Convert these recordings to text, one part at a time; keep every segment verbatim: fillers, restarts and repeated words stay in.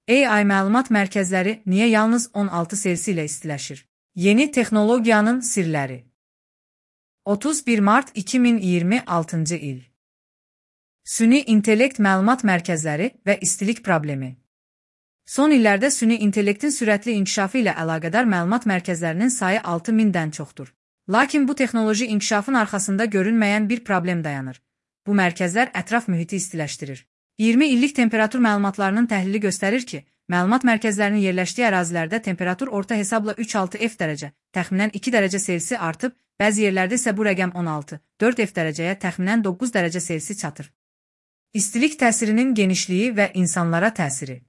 A I məlumat mərkəzləri niyə yalnız on altı Selsi ilə istiləşir? Yeni texnologiyanın sirləri. otuz bir mart iki min iyirmi altıncı il. Süni intellekt məlumat mərkəzləri və istilik problemi. Son illərdə süni intellektin sürətli inkişafı ilə əlaqədar məlumat mərkəzlərinin sayı altı mindən çoxdur. Lakin bu texnoloji inkişafın arxasında görünməyən bir problem dayanır. Bu mərkəzlər ətraf mühiti istiləşdirir. iyirmi illik temperatur məlumatlarının təhlili göstərir ki, məlumat mərkəzlərinin yerləşdiyi ərazilərdə temperatur orta hesabla üç altı F dərəcə, təxminən iki dərəcə Selsi artıb, bəzi yerlərdə isə bu rəqəm on altı dörd F dərəcəyə, təxminən doqquz dərəcə Selsi çatır. İstilik təsirinin genişliyi və insanlara təsiri.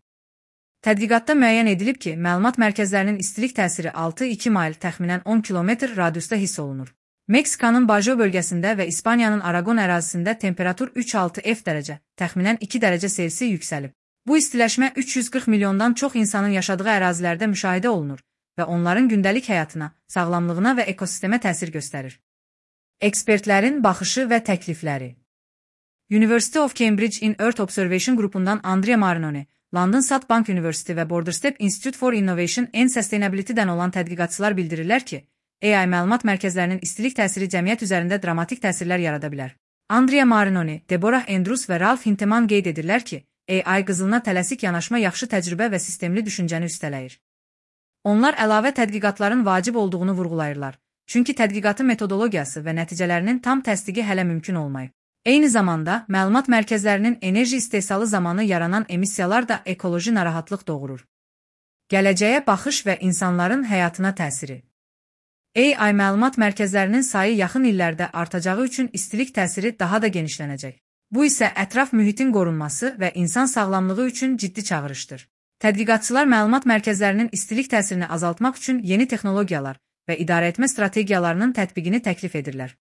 Tədqiqatda müəyyən edilib ki, məlumat mərkəzlərinin istilik təsiri altı iki mayl, təxminən on kilometr radiusda hiss olunur. Meksikanın Bajo bölgəsində və İspaniyanın Aragon ərazisində temperatur üç altı F dərəcə, təxminən iki dərəcə Selsi yüksəlib. Bu istiləşmə üç yüz qırx milyondan çox insanın yaşadığı ərazilərdə müşahidə olunur və onların gündəlik həyatına, sağlamlığına və ekosistemə təsir göstərir. Ekspertlərin baxışı və təklifləri. University of Cambridge in Earth Observation qrupundan Andrea Marinoni, London South Bank University və Borderstep Institute for Innovation and Sustainability-dən olan tədqiqatçılar bildirirlər ki, A I məlumat mərkəzlərinin istilik təsiri cəmiyyət üzərində dramatik təsirlər yarada bilər. Andrea Marinoni, Deborah Andrews və Ralph Hintemann qeyd edirlər ki, A I qızılına tələsik yanaşma yaxşı təcrübə və sistemli düşüncəni üstələyir. Onlar əlavə tədqiqatların vacib olduğunu vurğulayırlar, çünki tədqiqatın metodologiyası və nəticələrinin tam təsdiqi hələ mümkün olmayıb. Eyni zamanda, məlumat mərkəzlərinin enerji istehsalı zamanı yaranan emissiyalar da ekoloji narahatlıq doğurur. Gələcəyə baxış və insanların həyatına təsiri. A I məlumat mərkəzlərinin sayı yaxın illərdə artacağı üçün istilik təsiri daha da genişlənəcək. Bu isə ətraf mühitin qorunması və insan sağlamlığı üçün ciddi çağırışdır. Tədqiqatçılar məlumat mərkəzlərinin istilik təsirini azaltmaq üçün yeni texnologiyalar və idarəetmə strategiyalarının tətbiqini təklif edirlər.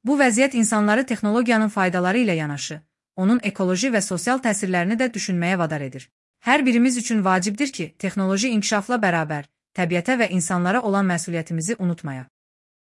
Bu vəziyyət insanları texnologiyanın faydaları ilə yanaşı, onun ekoloji və sosial təsirlərini də düşünməyə vadar edir. Hər birimiz üçün vacibdir ki, texnoloji inkişafla bərabər, təbiətə və insanlara olan məsuliyyətimizi unutmayaq.